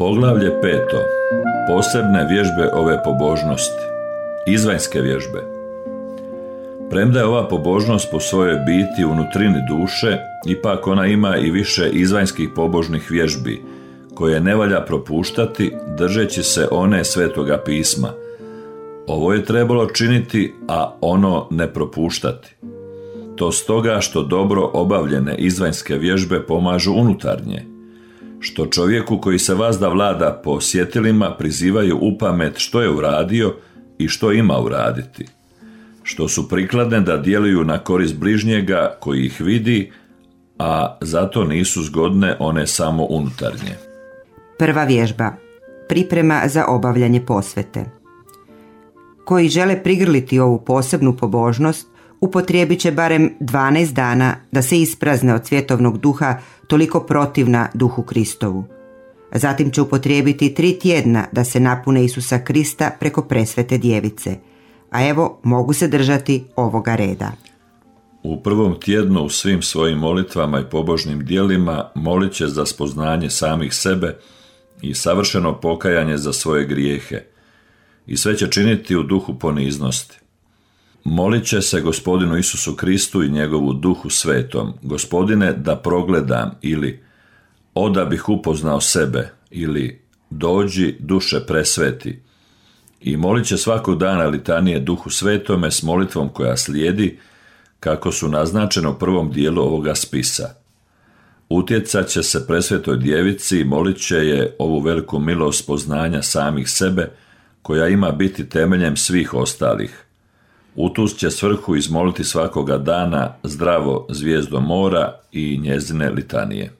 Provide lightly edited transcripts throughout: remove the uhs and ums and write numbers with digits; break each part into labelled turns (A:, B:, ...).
A: Poglavlje 5. Posebne vježbe ove pobožnosti. Izvanjske vježbe. Premda je ova pobožnost po svojoj biti u nutrini duše, ipak ona ima i više izvanjskih pobožnih vježbi, koje ne valja propuštati držeći se one Svetoga pisma. Ovo je trebalo činiti, a ono ne propuštati. To stoga što dobro obavljene izvanjske vježbe pomažu unutarnje, što čovjeku koji se vazda vlada po sjetilima prizivaju upamet što je uradio i što ima uraditi, što su prikladne da djeluju na korist bližnjega koji ih vidi, a zato nisu zgodne one samo unutarnje.
B: Prva vježba. Priprema za obavljanje posvete. Koji žele prigrliti ovu posebnu pobožnost, upotrijebit će barem 12 dana da se isprazne od svjetovnog duha toliko protivna duhu Kristovu. Zatim će upotrijebiti 3 tjedna da se napune Isusa Krista preko presvete djevice. A evo, mogu se držati ovoga reda.
A: U prvom tjednu u svim svojim molitvama i pobožnim djelima molit će za spoznanje samih sebe i savršeno pokajanje za svoje grijehe. I sve će činiti u duhu poniznosti. Molit će se Gospodinu Isusu Kristu i njegovu Duhu Svetom: Gospodine, da progledam, ili o da bih upoznao sebe, ili dođi duše presveti. I molit će svakog dana litanije Duhu Svetome s molitvom koja slijedi, kako su naznačeno u prvom dijelu ovoga spisa. Utjecat će se presvetoj djevici i molit će je ovu veliku milost poznanja samih sebe, koja ima biti temeljem svih ostalih. U tu će svrhu izmoliti svakoga dana zdravo zvijezdo mora i njezine litanije.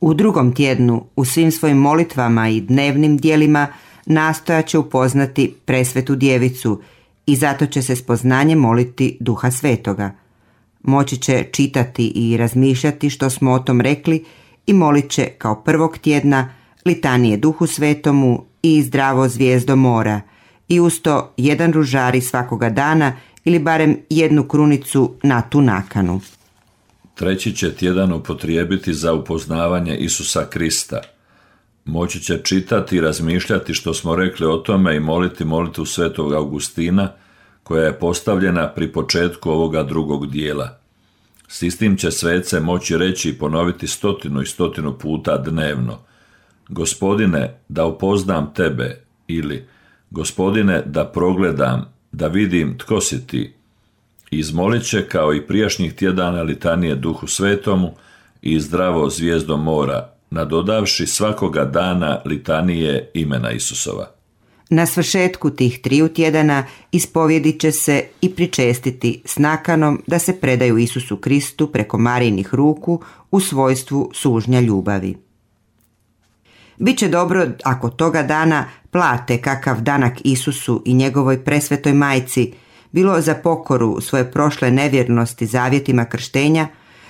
B: U drugom tjednu u svim svojim molitvama i dnevnim djelima nastojat će upoznati presvetu djevicu i zato će se s poznanjem moliti Duha Svetoga. Moći će čitati i razmišljati što smo o tom rekli i molit će kao prvog tjedna litanije Duhu Svetomu i zdravo zvijezdo mora i usto 1 ružari svakoga dana ili barem 1 krunicu na tu nakanu.
A: 3. će tjedan upotrijebiti za upoznavanje Isusa Krista. Moći će čitati i razmišljati što smo rekli o tome i moliti molitvu Svetog Augustina, koja je postavljena pri početku ovoga drugog dijela. S istim će svece moći reći i ponoviti 100 i 100 puta dnevno: Gospodine, da upoznam tebe, ili Gospodine, da progledam, da vidim tko si ti. Izmolit će kao i prijašnjih tjedana litanije Duhu Svetomu i zdravo zvijezdo mora, nadodavši svakoga dana litanije imena Isusova.
B: Na svršetku tih 3 tjedana ispovjedit će se i pričestiti s nakanom da se predaju Isusu Kristu preko Marijinih ruku u svojstvu sužnja ljubavi. Biće dobro ako toga dana plate kakav danak Isusu i njegovoj presvetoj majci, bilo za pokoru svoje prošle nevjernosti zavjetima krštenja,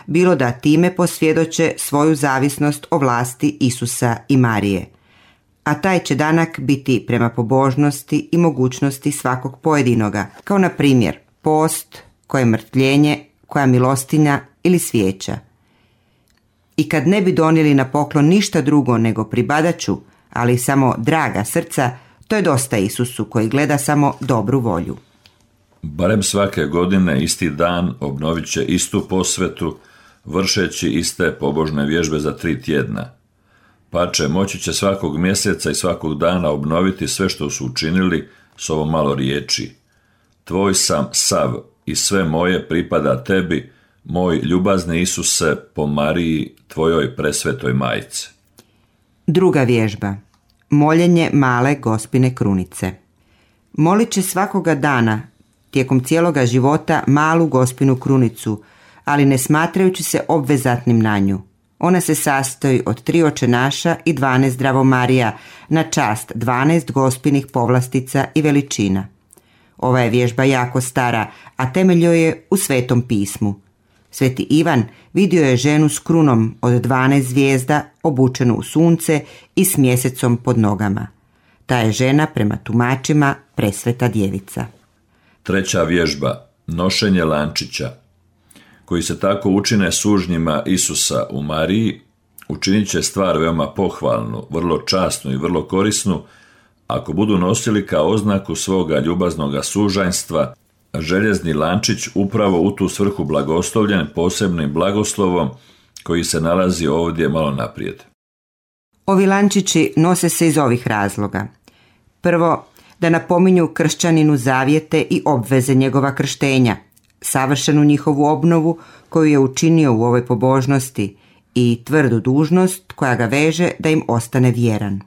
B: bilo da time posvjedoče svoju zavisnost o vlasti Isusa i Marije. A taj će danak biti prema pobožnosti i mogućnosti svakog pojedinoga, kao na primjer post, koje mrtvljenje, koja milostinja ili svijeća. I kad ne bi donijeli na poklon ništa drugo nego pribadaču, ali samo draga srca, to je dosta Isusu koji gleda samo dobru volju.
A: Barem svake godine isti dan obnovit će istu posvetu, vršeći iste pobožne vježbe za 3 tjedna. Pače, moći će svakog mjeseca i svakog dana obnoviti sve što su učinili s ovo malo riječi: Tvoj sam sav i sve moje pripada tebi, moj ljubazni Isuse, po Mariji, tvojoj presvetoj majci.
B: Druga vježba. Moljenje male Gospine krunice. Molit će svakoga dana, tijekom cijeloga života, malu Gospinu krunicu, ali ne smatrajući se obvezatnim na nju. Ona se sastoji od 3 očenaša i 12 zdravo Marija, na čast 12 Gospinih povlastica i veličina. Ova je vježba jako stara, a temelj joj je u Svetom pismu. Sveti Ivan vidio je ženu s krunom od 12 zvijezda, obučenu u sunce i s mjesecom pod nogama. Ta je žena prema tumačima presveta djevica.
A: 3. vježba. Nošenje lančića, koji se tako učine sužnjima Isusa u Mariji, učinit će stvar veoma pohvalnu, vrlo časnu i vrlo korisnu, ako budu nosili kao oznaku svoga ljubaznoga sužanjstva željezni lančić upravo u tu svrhu blagoslovljen posebnim blagoslovom koji se nalazi ovdje malo naprijed.
B: Ovi lančići nose se iz ovih razloga. Prvo, da napominju kršćaninu zavjete i obveze njegova krštenja, savršenu njihovu obnovu koju je učinio u ovoj pobožnosti i tvrdu dužnost koja ga veže da im ostane vjeran.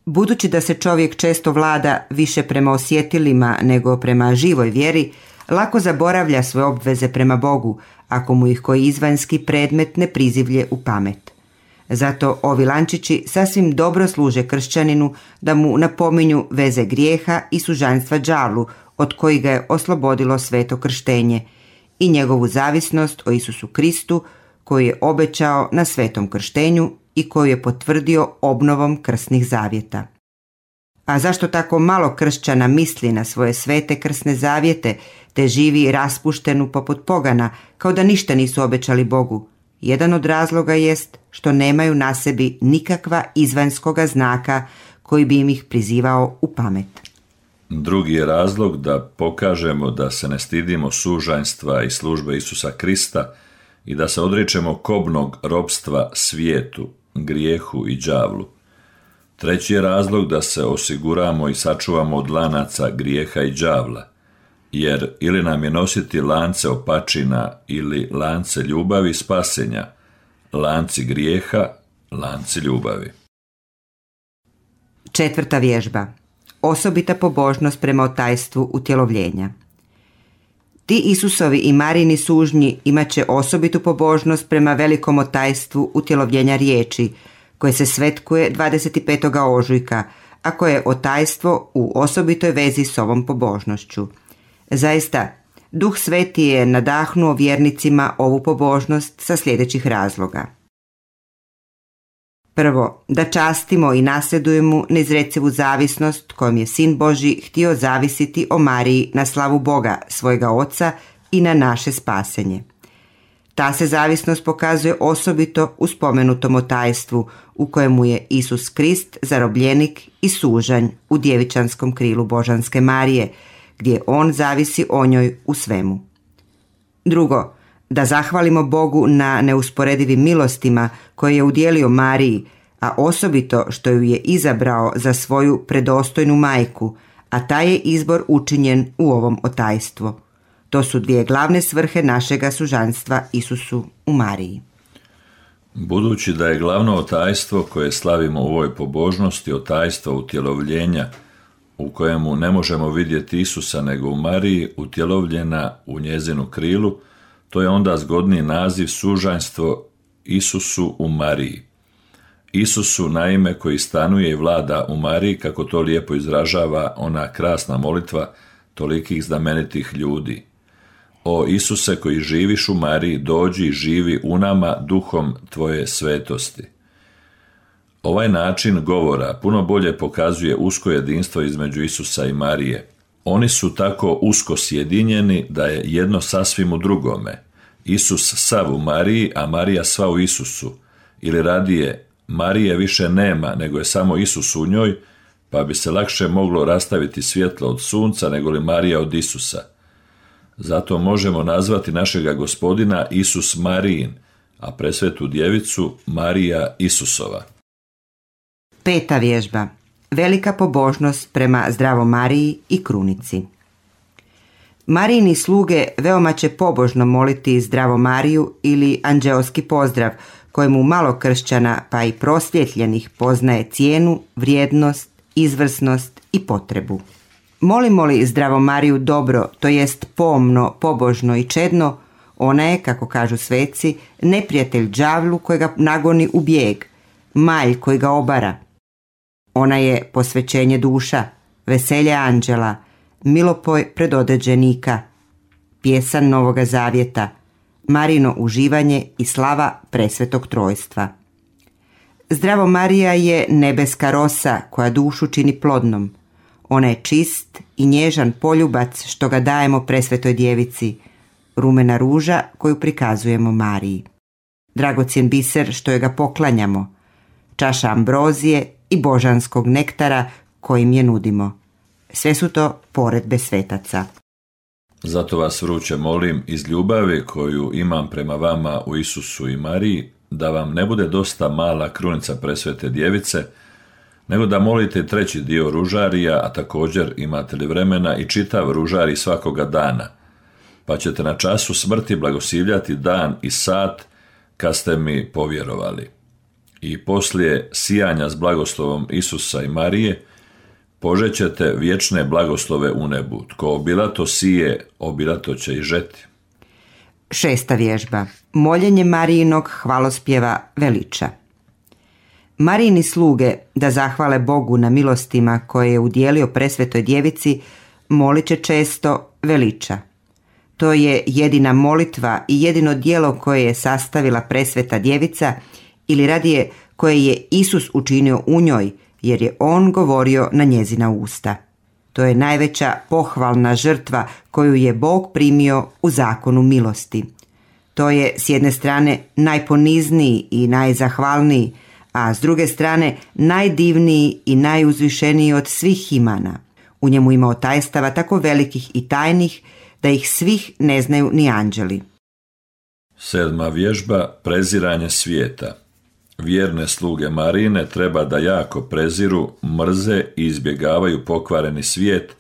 B: Budući da se čovjek često vlada više prema osjetilima nego prema živoj vjeri, lako zaboravlja svoje obveze prema Bogu ako mu ih koji izvanjski predmet ne prizivlje u pamet. Zato ovi lančići sasvim dobro služe kršćaninu da mu napominju veze grijeha i sužanjstva đavlu od kojih ga je oslobodilo sveto krštenje i njegovu zavisnost o Isusu Kristu koji je obećao na svetom krštenju i koju je potvrdio obnovom krsnih zavjeta. A zašto tako malo kršćana misli na svoje svete krsne zavjete te živi raspuštenu poput pogana kao da ništa nisu obećali Bogu? Jedan od razloga jest što nemaju na sebi nikakva izvanjskoga znaka koji bi im ih prizivao u pamet.
A: Drugi je razlog da pokažemo da se ne stidimo sužanjstva i službe Isusa Krista i da se odričemo kobnog ropstva svijetu, grijehu i đavlu. Treći je razlog da se osiguramo i sačuvamo od lanaca grijeha i đavla, jer ili nam je nositi lance opačina ili lance ljubavi spasenja, lanci grijeha, lanci ljubavi.
B: Četvrta vježba. Osobita pobožnost prema otajstvu utjelovljenja. Ti Isusovi i Marijini sužnji imat će osobitu pobožnost prema velikom otajstvu utjelovljenja riječi, koje se svetkuje 25. ožujka, a koje je otajstvo u osobitoj vezi s ovom pobožnošću. Zaista, Duh Sveti je nadahnuo vjernicima ovu pobožnost sa sljedećih razloga. Prvo, da častimo i nasljedujemo neizrecivu zavisnost kojom je Sin Božji htio zavisiti o Mariji na slavu Boga, svojega Oca i na naše spasenje. Ta se zavisnost pokazuje osobito u spomenutom otajstvu u kojemu je Isus Krist zarobljenik i sužanj u djevičanskom krilu Božanske Marije, gdje on zavisi o njoj u svemu. Drugo, da zahvalimo Bogu na neusporedivim milostima koje je udjelio Mariji, a osobito što ju je izabrao za svoju predostojnu majku, a taj je izbor učinjen u ovom otajstvu. To su dvije glavne svrhe našega sužanjstva Isusu u Mariji.
A: Budući da je glavno otajstvo koje slavimo u ovoj pobožnosti otajstvo utjelovljenja, u kojemu ne možemo vidjeti Isusa nego u Mariji, utjelovljena u njezinu krilu, to je onda zgodni naziv sužanjstvo Isusu u Mariji. Isusu, naime, koji stanuje i vlada u Mariji, kako to lijepo izražava ona krasna molitva tolikih znamenitih ljudi. O Isuse koji živiš u Mariji, dođi i živi u nama duhom tvoje svetosti. Ovaj način govora puno bolje pokazuje usko jedinstvo između Isusa i Marije. Oni su tako usko sjedinjeni da je jedno sasvim u drugome. Isus sav u Mariji, a Marija sva u Isusu. Ili radije, Marije više nema, nego je samo Isus u njoj, pa bi se lakše moglo rastaviti svjetlo od sunca, nego li Marija od Isusa. Zato možemo nazvati našega Gospodina Isus Marijin, a presvetu djevicu Marija Isusova.
B: Peta vježba. Velika pobožnost prema Zdravoj Mariji i krunici. Marijini sluge veoma će pobožno moliti Zdravu Mariju ili anđeoski pozdrav, kojemu malo kršćana pa i prosvjetljenih poznaje cijenu, vrijednost, izvrsnost i potrebu. Molimo li Zdravu Mariju dobro, to jest pomno, pobožno i čedno, ona je, kako kažu sveci, neprijatelj đavlu koji ga nagoni u bijeg, malj koji ga obara. Ona je posvećenje duša, veselje anđela, milopoj predodeđenika, pjesan Novoga Zavjeta, Marino uživanje i slava presvetog trojstva. Zdravo Marija je nebeska rosa koja dušu čini plodnom. Ona je čist i nježan poljubac što ga dajemo presvetoj djevici, rumena ruža koju prikazujemo Mariji. dragocjen biser što je ga poklanjamo, čaša ambrozije i božanskog nektara kojim je nudimo. Sve su to poredbe svetaca.
A: Zato vas vruće molim iz ljubavi koju imam prema vama u Isusu i Mariji, da vam ne bude dosta mala krunica presvete djevice, nego da molite treći dio ružarija, a također imate li vremena i čitav ružarij svakoga dana, pa ćete na času smrti blagosivljati dan i sat kad ste mi povjerovali. I poslije sijanja s blagoslovom Isusa i Marije, požećete vječne blagoslove u nebu. Tko obilato sije, obilato će i žeti.
B: 6. vježba. Moljenje Marijinog hvalospjeva veliča. Marijini sluge, da zahvale Bogu na milostima koje je udjelio presvetoj djevici, molit će često veliča. To je jedina molitva i jedino djelo koje je sastavila presveta djevica, ili radije koje je Isus učinio u njoj, jer je on govorio na njezina usta. To je najveća pohvalna žrtva koju je Bog primio u zakonu milosti. To je s jedne strane najponizniji i najzahvalniji, a s druge strane najdivniji i najuzvišeniji od svih imana. U njemu ima tajstava tako velikih i tajnih da ih svih ne znaju ni anđeli.
A: 7. vježba. Preziranje svijeta. Vjerne sluge Marijine treba da jako preziru, mrze i izbjegavaju pokvareni svijet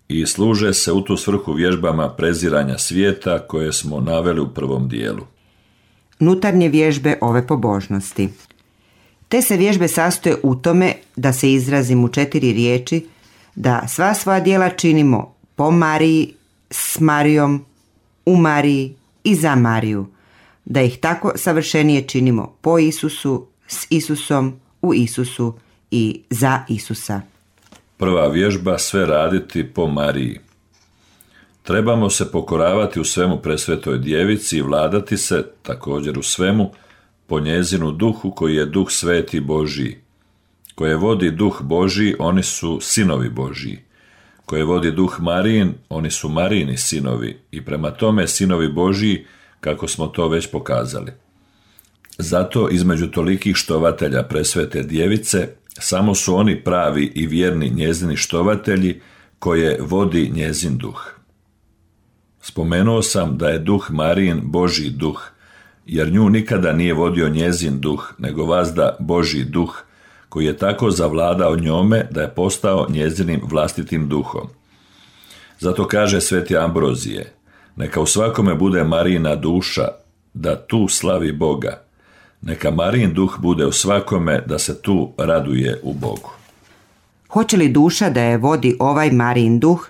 A: i služe se u tu svrhu vježbama preziranja svijeta koje smo naveli u prvom dijelu.
B: Unutarnje vježbe ove pobožnosti. Te se vježbe sastoje u tome, da se izrazim u 4 riječi, da sva svoja djela činimo po Mariji, s Marijom, u Mariji i za Mariju, da ih tako savršenije činimo po Isusu, s Isusom, u Isusu i za Isusa.
A: Prva vježba. Sve raditi po Mariji. Trebamo se pokoravati u svemu presvetoj djevici i vladati se, također u svemu, po njezinu duhu koji je duh sveti Božiji. Koje vodi duh Božiji, oni su sinovi Božiji. Koje vodi duh Marijin, oni su Marijini sinovi i prema tome sinovi Božiji, kako smo to već pokazali. Zato između tolikih štovatelja presvete djevice, samo su oni pravi i vjerni njezini štovatelji koje vodi njezin duh. Spomenuo sam da je duh Marijin Božji duh, jer nju nikada nije vodio njezin duh, nego vazda Božji duh, koji je tako zavladao njome da je postao njezinim vlastitim duhom. Zato kaže sveti Ambrozije, neka u svakome bude Marijina duša, da tu slavi Boga. Neka Marijin duh bude u svakome, da se tu raduje u Bogu.
B: Hoće li duša da je vodi ovaj Marijin duh,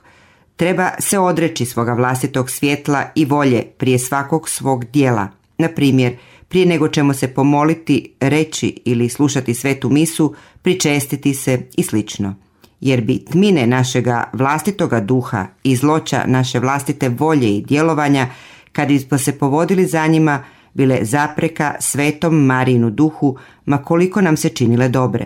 B: treba se odreći svoga vlastitog svjetla i volje prije svakog svog djela. Na primjer, prije nego ćemo se pomoliti, reći ili slušati svetu misu, pričestiti se i slično. Jer bi tmine našega vlastitoga duha i zloća naše vlastite volje i djelovanja, kad bismo se povodili za njima, bile zapreka svetom Marijinu duhu, ma koliko nam se činile dobre.